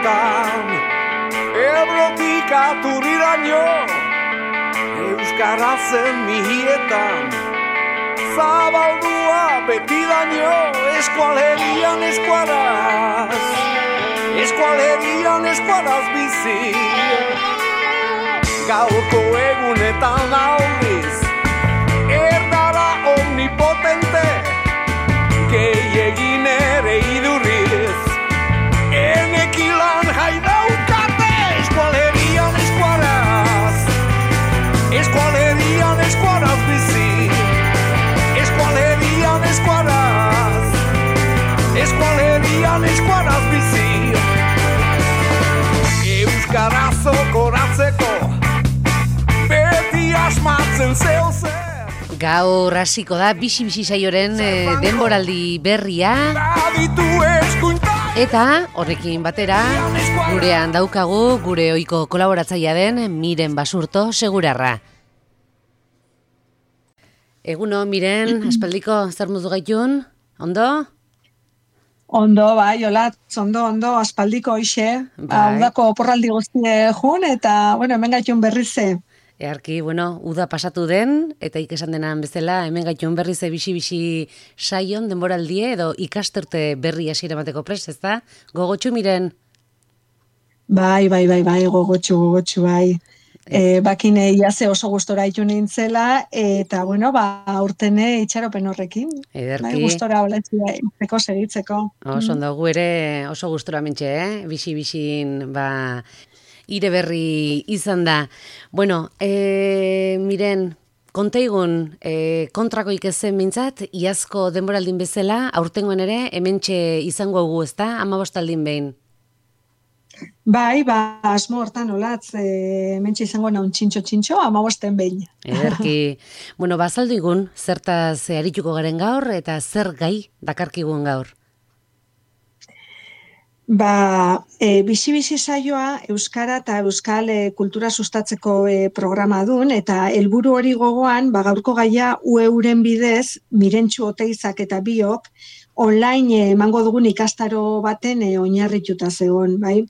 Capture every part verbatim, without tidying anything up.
egunetan, Ebrotik aturriraino, euskarazen mihietan, zabaldua betidaino, eskualerian eskuaraz, eskualerian eskuaraz bizi. Gaurko egunetan aldiz, erdara omnipotente, gehiegin ere idurriz, enekilan jai daukate, eskualerian eskuaraz, eskualerian eskuaraz bizi, eskualerian eskuaraz, eskualerian eskuaraz bizi. Euskaraz okoratzeko, beti asmatzen zeu zer. Gaur hasiko da bixi-bixi saioren eh, denboraldi berria. Eta horrekin batera gurean daukagu gure ohiko kolaboratzailea den Miren Basurto Segurarra. Eguno, Miren, aspaldiko zer mudu gaitun? Ondo? Ondo, bai, hola, ondo, ondo, aspaldiko hoxe. Bai. Udako oporraldi guztie jun, eta, bueno, hemen gaitun berrize. Earki, bueno, uda pasatu den, eta ikesan denan bezala, hemen gaitun berrize bixi-bixi saion denboraldie, edo ikasterte berri hasiera emateko prest, ez da? Gogotxu, Miren? Bai, bai, bai, bai, gogotxu, gogotxu, bai. E, bakine iaze oso gustora itu nintzela, eta, bueno, ba, urtene itxaropen horrekin. Ederki. Bai, gustora holetzea, itzeko, seritzeko. Oso ondo, gu ere oso gustora mentxe, eh? Bixi-bixin, ba... ire berri izan da. Bueno, e, Miren, konteigun e, kontrako ikezen mintzat, iazko denboraldin bezala, aurtengoen ere, hementxe izango gu, ez da? Amabostaldin behin. Bai, ba, asmo hortan olatz, e, hementxe izango naun txintxo-txintxo, amabosten behin. Ederki. Bueno, bazaldu igun, zertaz arituko garen gaur, eta zer gai dakarkigun gaur? Ba, e, bizi-bizi saioa Euskara eta Euskal e, kultura sustatzeko e, programa dun, eta helburu hori gogoan, ba, gaurko gaia ueuren bidez, Mirentxu Oteizak eta biok, online emango dugun ikastaro baten e, oinarrituta zegoen, bai?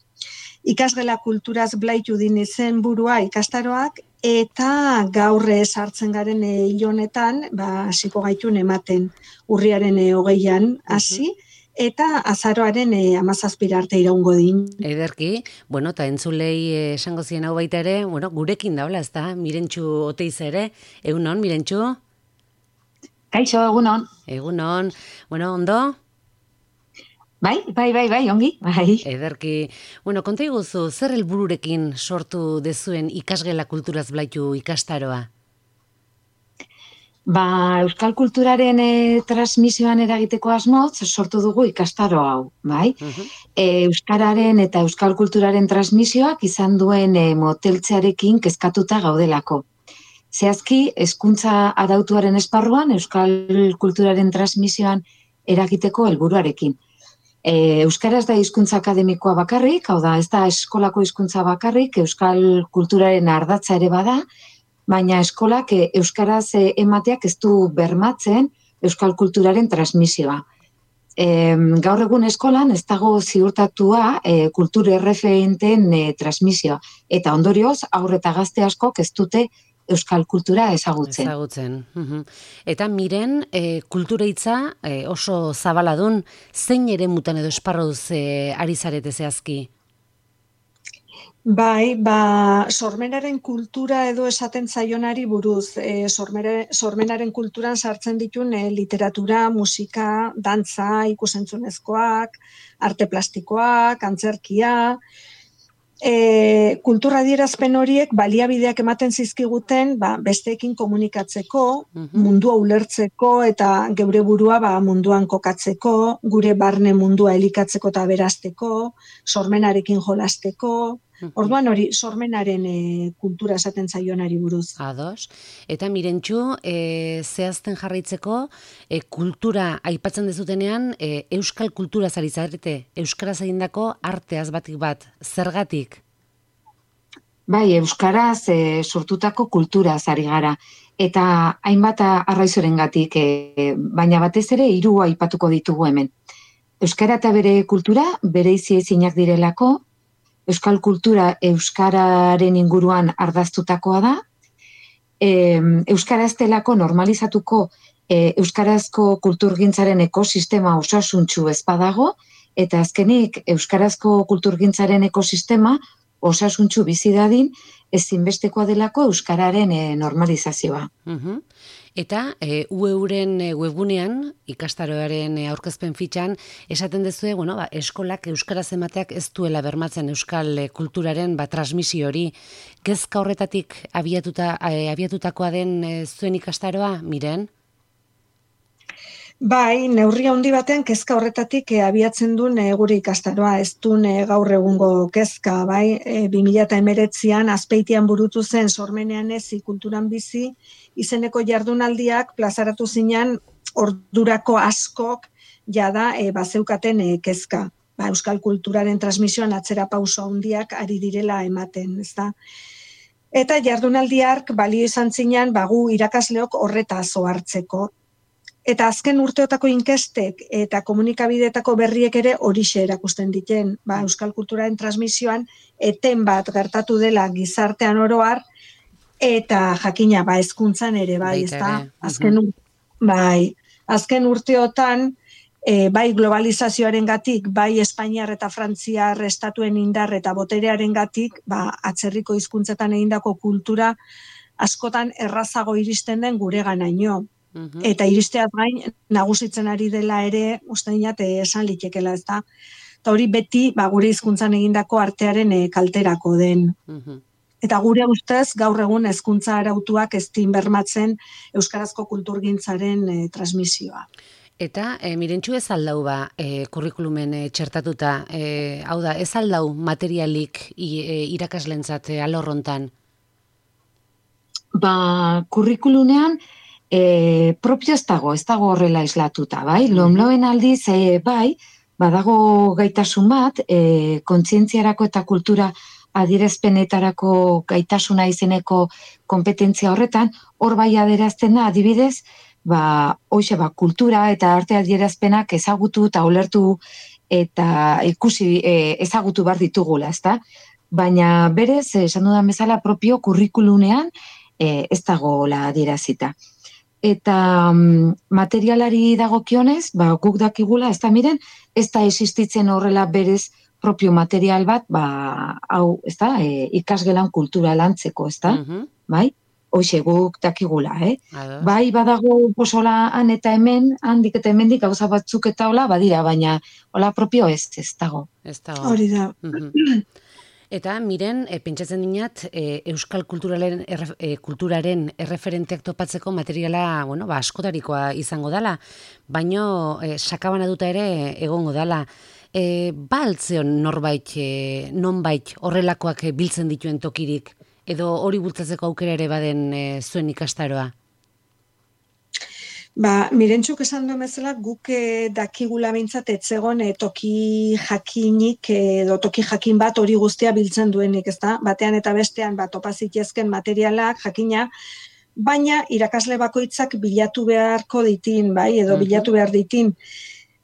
Ikasgela kulturaz blaitu din izen burua ikastaroak, eta gaurre sartzen garen e, hilonetan, ba, hasiko gaitun ematen, urriaren e, hogeian hasi, eta azaroaren e, amazazpira arte iraungo din. Ederki, bueno, eta entzulei eh, esango zien hau baita ere, bueno, gurekin daula, ez da, Mirentxu Oteiz ere, egunon, Mirentxu? Kaixo, egunon. Egunon, bueno, ondo? Bai, bai, bai, bai, ongi, bai. Ederki, bueno, konta iguzu, zer helbururekin sortu dezuen ikasgela kulturaz blaitu ikastaroa? Ba, euskal kulturaren e, transmisioan eragiteko asmoz, sortu dugu ikastaro hau, bai? Uh-huh. e, Euskararen eta euskal kulturaren transmisioak izan duen e, moteltzearekin kezkatuta gaudelako. Zehazki, hezkuntza arautuaren esparruan, euskal kulturaren transmisioan eragiteko helburuarekin. E, Euskaraz da hizkuntza akademikoa bakarrik, hau da, ez da eskolako hizkuntza bakarrik, euskal kulturaren ardatza ere bada, baina eskolak euskaraz emateak ez du bermatzen euskal kulturaren transmisioa. E, gaur egun eskolan ez dago ziurtatua e, kultur erreferenteen e, transmisioa. Eta ondorioz, haur eta gazte askok ez dute euskal kultura ezagutzen. Ezagutzen. Uhum. Eta Miren, e, kultura hitza e, oso zabaladun, zein ere mutan edo esparruz e, ari zarete zehazki? Bai, ba, sormenaren kultura edo esaten zaionari buruz, e, sormere, sormenaren kulturan sartzen ditun e, literatura, musika, dantza, ikusentzunezkoak, arte plastikoak, antzerkia, e, kultura adierazpen horiek baliabideak ematen zizkiguten ba, besteekin komunikatzeko, uh-huh. mundua ulertzeko eta geure burua ba, munduan kokatzeko, gure barne mundua elikatzeko eta berazteko, sormenarekin jolasteko. Orduan hori sormenaren e, kultura esaten zaionari buruz. Ados. Eta Mirentxu, e, zehazten jarraitzeko, e, kultura aipatzen dezutenean, e, euskal kultura zari zarete, euskaraz egindako arteaz batik bat, zergatik? Bai, euskaraz e, sortutako kultura zari gara. Eta hainbat arraizorengatik, e, baina batez ere hiru aipatuko ditugu hemen. Euskara eta bere kultura bereizi ezinak direlako, euskal kultura euskararen inguruan ardaztutakoa da, e, euskara ez delako normalizatuko e, euskarazko kulturgintzaren ekosistema osasuntsu ez badago, eta azkenik euskarazko kulturgintzaren ekosistema osasuntsu bizi dadin ezinbestekoa delako euskararen e, normalizazioa. Uh-huh. Eta e, U E-ren webgunean, ikastaroaren aurkezpen fitxan, esaten dezue, bueno, ba, eskolak euskaraz emateak ez duela bermatzen euskal kulturaren ba, transmisio hori. Kezka horretatik abiatuta, e, abiatutakoa den e, zuen ikastaroa, Miren? Bai, neurri handi batean kezka horretatik e, abiatzen duen e, gure ikastaroa, ez duen e, gaur egungo kezka, bai, e, bi mila hemeretzian Azpeitian burutu zen Sormenean ezi kulturan bizi, izeneko jardunaldiak plazaratu zinan ordurako askok jada e, bazeukaten e, kezka. Ba, euskal kulturaren transmisioan atzera pauso handiak ari direla ematen, ezta? Eta jardunaldi hark balio izan zinan bagu irakasleok horretaz ohartzeko. Eta azken urteotako inkestek eta komunikabideetako berriek ere horixe erakusten diten. Ba, euskal kulturaren transmisioan eten bat gertatu dela gizartean oro har, eta jakina ba hezkuntzan ere bai, ezta? Azken bai, azken urteotan e, bai globalizazioarengatik, bai Espainiar eta Frantziar estatuen indar eta boterearengatik, ba atzerriko hizkuntzetan egindako kultura askotan errazago iristen den gureganaino. Eta iristeaz gain, nagusitzen ari dela ere, uste dinat, esan litekela, ez da. Eta hori beti, ba, gure hizkuntzan egindako artearen e, kalterako den. Uh-huh. Eta gure ustez, gaur egun hezkuntza arautuak ez din bermatzen euskarazko kulturgintzaren e, transmisioa. Eta, e, Mirentxu ez aldau ba, e, kurrikulumen e, txertatuta, e, hau da, ez aldau materialik i, e, irakaslentzat e, alorrontan? Ba, kurrikulunean, E, propio ez dago, ez dago horrela islatuta, bai? Lomloen aldiz, e, bai, badago gaitasun bat, e, kontzientziarako eta kultura adierazpenetarako gaitasuna izeneko kompetentzia horretan, hor bai adierazten da, adibidez, ba, hoxe, ba, kultura eta arte adierazpenak ezagutu eta ulertu eta ikusi e, ezagutu bar ditugula, ezta? Baina berez, esan dudan bezala, propio kurrikulunean e, ez dagoela adierazita. Eta um, materialari dagokionez, ba, guk dakigula, ez da miren, ez da existitzen horrela berez propio material bat, ba, hau, ez da, e, ikasgelan kultura lantzeko, ez da, uh-huh. Bai? Hoxe, guk dakigula, eh? Ados. Bai, badago posola han eta hemen, handik eta hemendik gauza batzuk eta hola, badira, baina hola propio ez, ez dago. Ez dago. Hori da. Uh-huh. Eta, Miren, e, pentsatzen dinat, e, euskal kulturaren, erre, e, kulturaren erreferenteak topatzeko materiala, bueno, ba, askotarikoa izango dala, baino e, sakabana duta ere egongo dala. E, ba altzeon norbait, e, nonbait horrelakoak biltzen dituen tokirik, edo hori bultzatzeko aukera ere baden e, zuen ikastaroa? Ba, Mirentxuk esan duen bezala, guk eh, dakigula behintzat etzegon eh, toki jakinik edo toki jakin bat hori guztia biltzen duenik, ezta? Batean eta bestean bat topazitezken materialak jakina, baina irakasle bakoitzak bilatu beharko ditin, bai, edo bilatu behar ditin,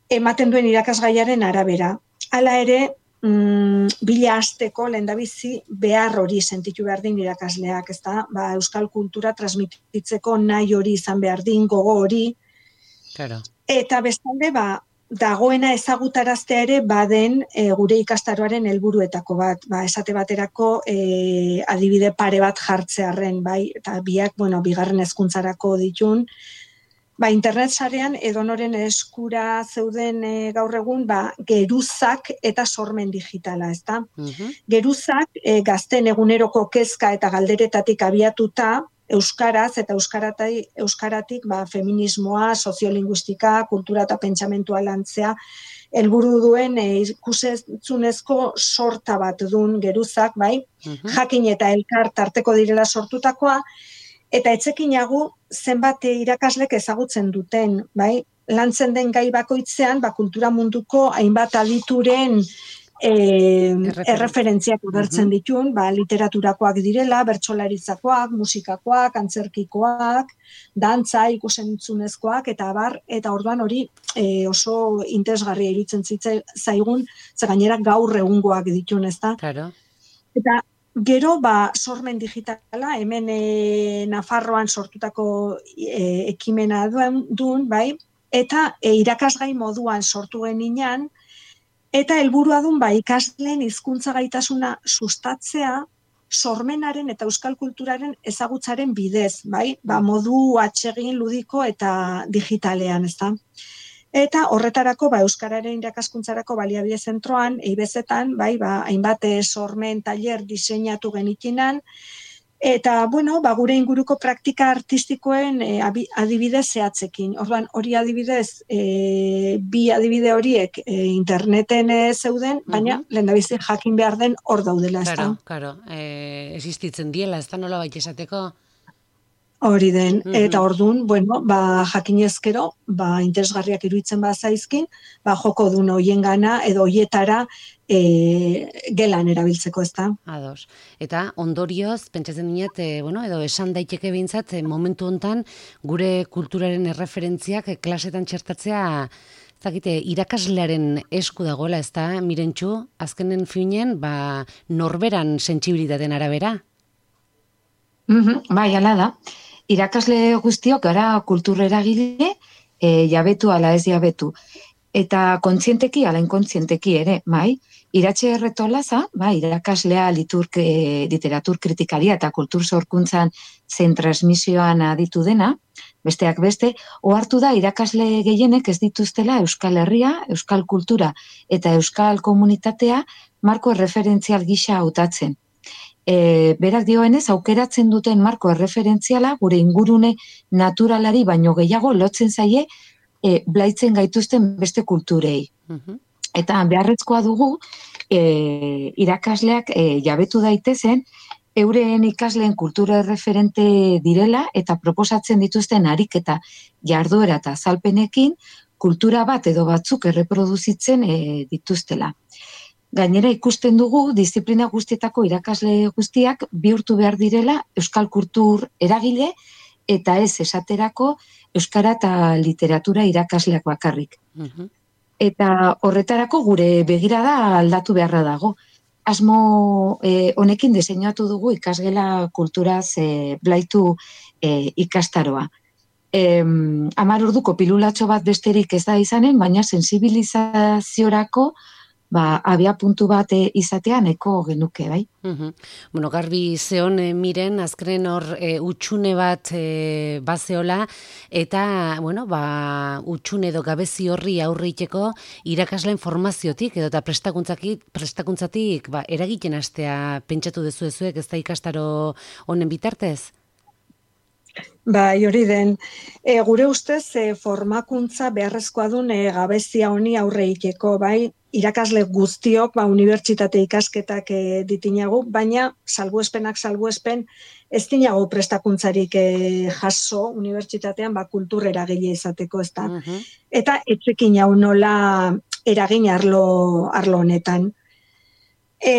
ematen duen irakasgaiaren arabera. Hala ere, mm, bila hasteko lehendabizi behar hori sentitu behar din irakasleak, ezta? Ba, euskal kultura transmititzeko nahi hori izan behar din, gogo hori. Claro. Eta bestalde, ba, dagoena ezagutaraztea ere baden e, gure ikastaroaren helburuetako bat, ba, esate baterako e, adibide pare bat jartzearren, bai, eta biak, bueno, bigarren hezkuntzarako ditun, ba, internet sarean edonoren eskura zeuden e, gaur egun, ba, geruzak eta sormen digitala, ezta? Uh-huh. Geruzak e, gazten eguneroko kezka eta galderetatik abiatuta, euskaraz eta euskaratai, euskaratik ba, feminismoa, soziolinguistika, kultura eta pentsamentua lantzea, helburu duen e, ikusentzunezko sorta bat duen geruzak, bai? Uh-huh. Jakin eta elkar tarteko direla sortutakoa, eta etzekinagu zenbat irakaslek ezagutzen duten, bai? Lantzen den gai bakoitzean, ba, kultura munduko hainbat adituren e, Erreferentzi. erreferentziak agertzen ditun, ba, literaturakoak direla, bertsolaritzakoak, musikakoak, antzerkikoak, dantza, ikusentzunezkoak, eta abar, eta orduan hori e, oso interesgarria iruditzen zaigun, ze gainera gaur egungoak ditun, ezta? Claro. Eta gero, ba, sormen digitala, hemen e, Nafarroan sortutako e, ekimena duen, duen, bai, eta e, irakasgai moduan sortu geninean, eta helburua dun, ba, ikasleen hizkuntza gaitasuna sustatzea, sormenaren eta euskal kulturaren ezagutzaren bidez, bai, ba, modu atsegin ludiko eta digitalean, ezta? Eta horretarako, ba, euskararen irakaskuntzarako baliabide zentroan, eibezetan, bai, ba, hainbat sormen tailer diseinatu genitinan, eta, bueno, ba, gure inguruko praktika artistikoen e, adibidez zehatzekin. Orduan, hori adibidez, e, bi adibide horiek e, interneten e, zeuden, baina uh-huh. lehendabizi jakin behar den hor daudela, ez da? Claro, claro, e, existitzen diela, ez da nola baita esateko? Hori den, eta orduan, bueno, ba, jakinezkero, ba, interesgarriak iruditzen bazaizkin, ba, joko duen hoien gana, edo hoietara e, gelan erabiltzeko, ez da. Ados. Eta ondorioz, pentsatzen dinet, e, bueno, edo esan daiteke behintzat, e, momentu hontan gure kulturaren erreferentziak e, klasetan txertatzea, zakite, irakaslearen esku dagoela, ez da, Mirentxu, azkenen finen, ba, norberan sentsibilitateen arabera? Mm-hmm, bai, ala da. Irakasle guztiok gara kultureragile, e, jabetu ala ez jabetu. Eta kontzienteki ala inkontzienteki ere, bai, Iratxe Erretolaza, bai, irakaslea liturk, e, literatur kritikaria eta kultur sorkuntzan zein transmisioan aditu dena, besteak beste, ohartu da irakasle gehienek ez dituztela Euskal Herria, Euskal kultura eta Euskal komunitatea marko erreferentzial gisa hautatzen. E, berak dioenez, aukeratzen duten marko erreferentziala gure ingurune naturalari baino gehiago lotzen zaie e, blaitzen gaituzten beste kulturei. Uh-huh. Eta beharrezkoa dugu e, irakasleak e, jabetu daitezen euren ikasleen kultura erreferente direla eta proposatzen dituzten ariketa jarduera eta azalpenekin kultura bat edo batzuk erreproduzitzen e, dituztela. Gainera ikusten dugu, disiplina guztietako irakasle guztiak bihurtu behar direla euskal kultur eragile eta ez esaterako euskara eta literatura irakasleak bakarrik. Uh-huh. Eta horretarako gure begirada aldatu beharra dago. Asmo eh, honekin diseinatu dugu ikasgela kulturaz eh, blaitu eh, ikastaroa. Eh, Hamar orduko pilulatxo bat besterik ez da izanen, baina sensibilizaziorako ba, abia puntu bat izatea neko genuke, bai? Uh-huh. Bueno, garbi zeon e, miren, azkenen hor e, utxune bat e, bazeola, eta, bueno, ba, utxune edo gabezi horri aurriteko irakasleen formaziotik, edo eta prestakuntzatik, prestakuntzatik, ba, eragiten hastea pentsatu dezu ezuek, ez da ikastaro honen bitartez? Bai, hori den. E, gure ustez, e, formakuntza beharrezkoa duen e, gabezia honi aurre ikeko, bai, irakasle guztiok, ba, unibertsitate ikasketak e, ditinagu, baina salbuespenak salbuespen ez dinago prestakuntzarik e, jaso unibertsitatean ba, kultur eragile izateko, ez da. Uh-huh. Eta etxekin hau nola eragin arlo, arlo honetan. E,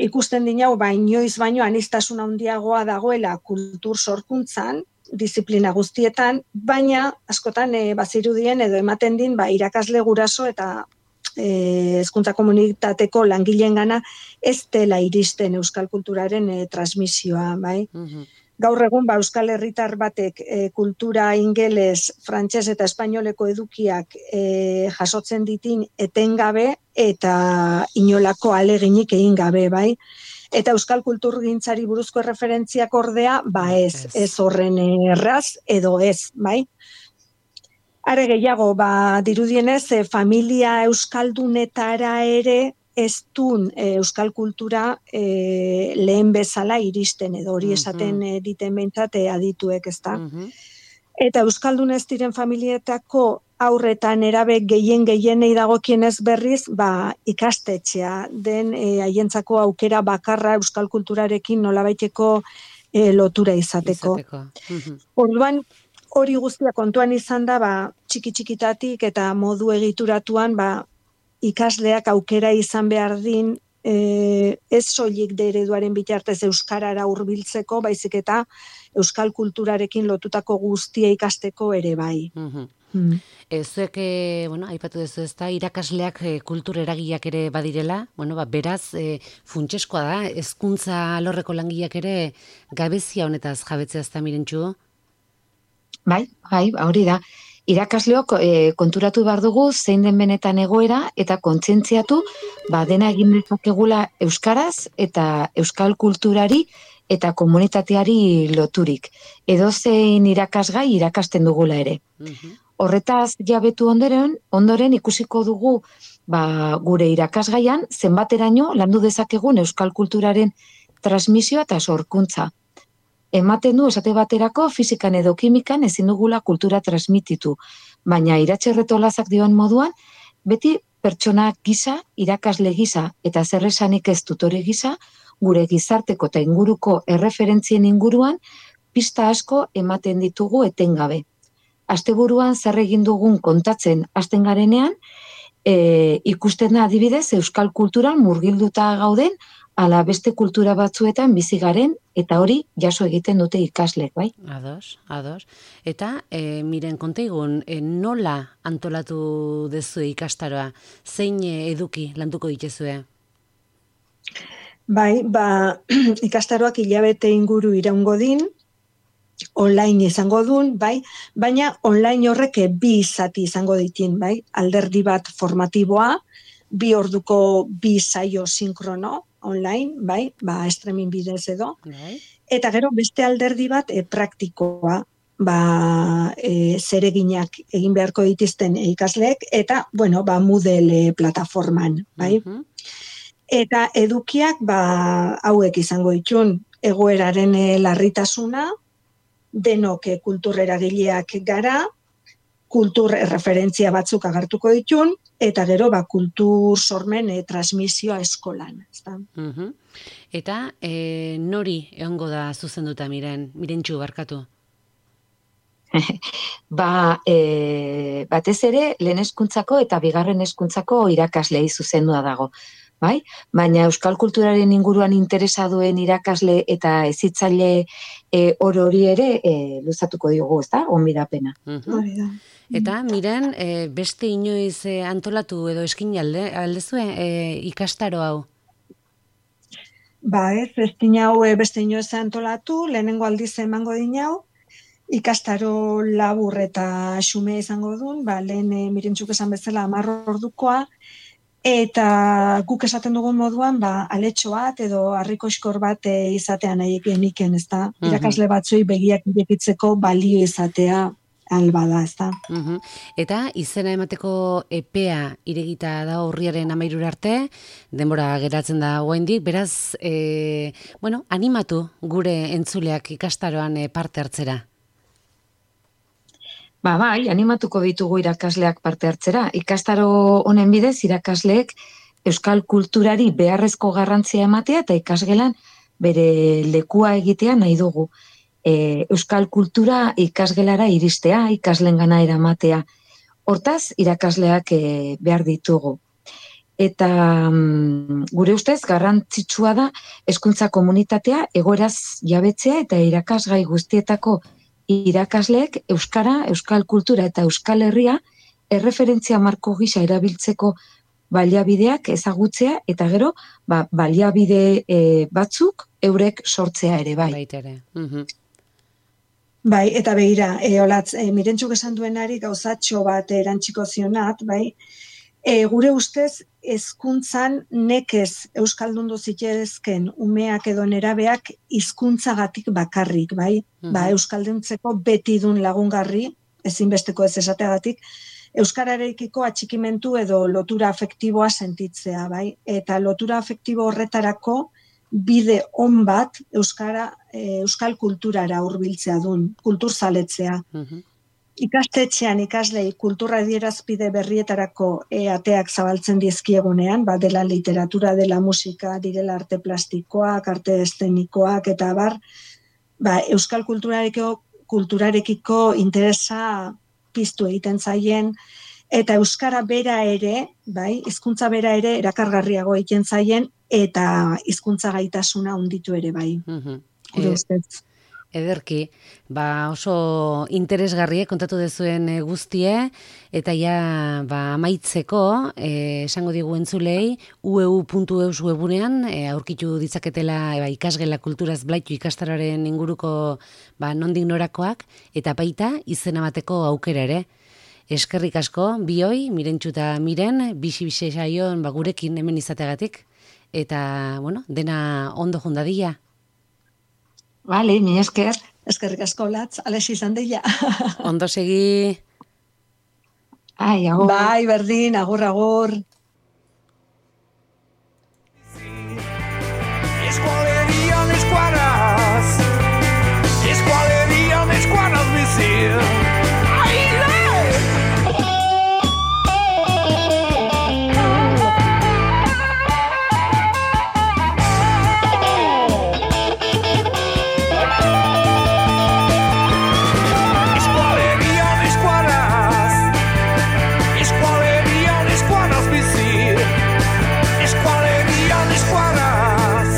ikusten dinau, ba, inoiz baino aniztasun handiagoa dagoela kultur sorkuntzan, disiplina guztietan, baina askotan e, bazirudien edo ematen din ba, irakasle guraso eta e, hezkuntza komunitateko langileen gana ez dela iristen euskal kulturaren e, transmisioa, bai? Uh-huh. Gaur egun, ba, euskal herritar batek e, kultura ingeles, frantses eta espainoleko edukiak e, jasotzen ditin etengabe eta inolako aleginik egin gabe, bai? Eta euskal kulturgintzari buruzko erreferentziak ordea, ba ez, ez horren erraz edo ez, bai? Are gehiago, ba, dirudienez, e, familia euskaldunetara ere ez duen e, euskal kultura e, lehen bezala iristen, edo hori esaten e, diten behintzat e, adituek, ezta? Uh-huh. Eta euskaldun ez diren familietako aurretan erabe gehien gehienei dagokienez berriz, ba, ikastetxea den e, haientzako aukera bakarra euskal kulturarekin nolabaiteko e, lotura izateko. izateko. Uh-huh. Orduan, hori guztia kontuan izan da, ba, txiki-txikitatik eta modu egituratuan, ba, ikasleak aukera izan behar din, e, ez soilik de ereduaren bitartez euskarara hurbiltzeko, baizik eta euskal kulturarekin lotutako guztia ikasteko ere bai. Mhm. Mm. Zuek, e, bueno, aipatu duzu ez da, irakasleak e, kultur eragileak ere badirela, bueno, ba, beraz, e, funtseskoa da, hezkuntza alorreko langileak ere gabezia honetaz jabetzea ez da, Mirentxu? Bai, bai, hori da. Irakasleok e, konturatu behar dugu zein den benetan egoera eta kontzentziatu ba, dena egin dezakegula euskaraz eta euskal kulturari eta komunitateari loturik. Edozein irakasgai irakasten dugula ere. Mhm. Horretaz jabetu ondoren, ondoren ikusiko dugu ba, gure irakasgaian zenbateraino landu dezakegun euskal kulturaren transmisioa eta sorkuntza. Ematen du esate baterako fizikan edo kimikan ezin dugula kultura transmititu, baina Iratxe Retolazak dioen moduan, beti pertsona gisa, irakasle gisa eta zerresanik ez tutore gisa, gure gizarteko eta inguruko erreferentzien inguruan pista asko ematen ditugu etengabe. Asteburuan zer egin dugun kontatzen hasten garenean, e, ikusten da adibidez euskal kulturan murgilduta gauden ala beste kultura batzuetan bizi garen eta hori jaso egiten dute ikaslek, bai? Ados, ados. Eta, e, miren, kontaigun, e, nola antolatu dezue ikastaroa? Zein e, eduki landuko dituzue? Bai, ba, ikastaroak hilabete inguru iraungo din, online izango duen, bai, baina online horrek bi zati izango ditin, bai, alderdi bat formatiboa, bi orduko bi saio sinkrono online, bai, ba, streaming bidez edo, Bai. eta gero beste alderdi bat e, praktikoa, ba, e, zereginak egin beharko dituzten ikasleek, eta, bueno, ba, Moodle plataforman, bai. Mhm. Eta edukiak, ba, hauek izango ditun, egoeraren e, larritasuna, denok e, kultur eragileak gara, kultur referentzia batzuk agertuko ditun, eta gero ba, kultur sormen e, transmisioa eskolan. Ezta? Mhm. Eta e, nori egongo da zuzenduta, miren, Mirentxu, barkatu? Ba, e, batez ere, lehen hezkuntzako eta bigarren hezkuntzako irakaslei zuzendua dago. Bai? Baina euskal kulturaren inguruan interesa duen irakasle eta hezitzaile e, oro hori ere e, luzatuko diogu, ezta? Onbidapena. Mhm. Hori da. Eta, miren, e, beste inoiz e, antolatu edo eskin alde, aldezue e, ikastaro hau? Ba, ez, ez dinau e, beste inoiz antolatu, lehenengo aldiz emango dinau, ikastaro labur eta xume izango duen, ba, lehen e, Mirentxuk esan bezala hamar ordukoa, eta guk esaten dugun moduan, ba, aletxo bat edo harrikoskor bat e, izatea nahi geniken, ezta? Mhm. Irakasle batzuei begiak irekitzeko balio izatea albada, ezta? Mhm. Eta izena emateko epea iregita da urriaren hamairura arte, denbora geratzen da oraindik, beraz, e, bueno, animatu gure entzuleak ikastaroan e, parte hartzera. Ba, bai, animatuko ditugu irakasleak parte hartzera. Ikastaro honen bidez irakasleek euskal kulturari beharrezko garrantzia ematea eta ikasgelan bere lekua egitea nahi dugu. E, euskal kultura ikasgelara iristea, ikaslengana eramatea. Hortaz, irakasleak e, behar ditugu. Eta mm, gure ustez garrantzitsua da hezkuntza komunitatea egoeraz jabetzea eta irakasgai guztietako irakasleek euskara, euskal kultura eta euskal herria erreferentzia marko gisa erabiltzeko baliabideak ezagutzea eta gero ba, baliabide e, batzuk eurek sortzea ere bai. Baita ere. Mhm. Bai, eta begira, e, olatz, e, Mirentxuk esan duenari gauzatxo bat erantziko zionat, bai, e, gure ustez hezkuntzan nekez euskaldundu zitezken umeak edo nerabeak hizkuntzagatik bakarrik, bai, Mhm. ba, euskalduntzeko beti dun lagungarri, ezinbesteko ez esateagatik, euskararekiko atxikimentu edo lotura afektiboa sentitzea, bai, eta lotura afektibo horretarako bide on bat euskara, e, euskal kulturara hurbiltzea dun, kulturzaletzea. Mhm. Ikastetxean ikaslei kultura adierazpide berrietarako e, ateak zabaltzen dizkiegunean, ba, dela literatura, dela musika, direla arte plastikoak, arte eszenikoak, eta bar, ba, euskal kulturarekiko, kulturarekiko interesa piztu egiten zaien, eta euskara bera ere, bai, hizkuntza bera ere erakargarriago egiten zaien eta hizkuntza gaitasuna handitu ere bai. Mhm. Gure E- ustez. Ederki, ba oso interesgarrie kontatu dezuen eh, guztie, eta ja ba, amaitzeko, eh, esango digu entzulei, u e u puntu eus webunean eh, aurkitu ditzaketela ba, ikasgela kulturaz blaitu ikastararen inguruko ba, nondik norakoak, eta baita izena bateko aukera ere. Eskerrik asko, bioi, Mirentxu eta Miren, bixi-bixi saion ba, gurekin hemen izategatik, eta bueno, dena ondo jundadia. Vale, mi esker. Eskerrik asko latz, ales izan deia. Ondo segi... Ai, agur. Bai, berdin, agur, agur. Eskualerian eskuaraz Eskualerian eskuaraz bizi Aile! Eskualerian eskuaraz Eskualerian eskuaraz bizi Eskualerian eskuaraz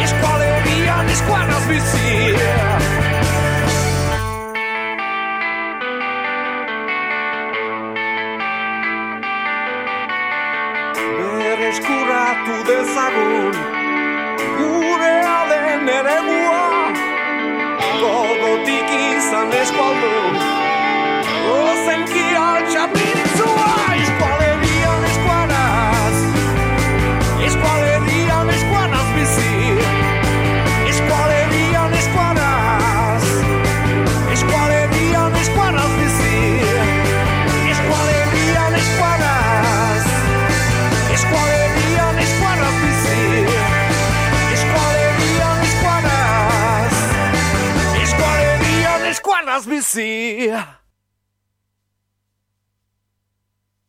Eskualerian eskuaraz bizi Berreskuratu dezagun Gure alen eremua Gogotik izan eskualdun Ozenki altxapintzua Eskualerian eskuaraz Eskualerian eskuaraz bizi Eskualerian eskuaraz Eskualerian eskuaraz bizi Eskualerian eskuaraz Eskualerian eskuaraz bizi Eskualerian eskuaraz Eskualerian eskuaraz bizi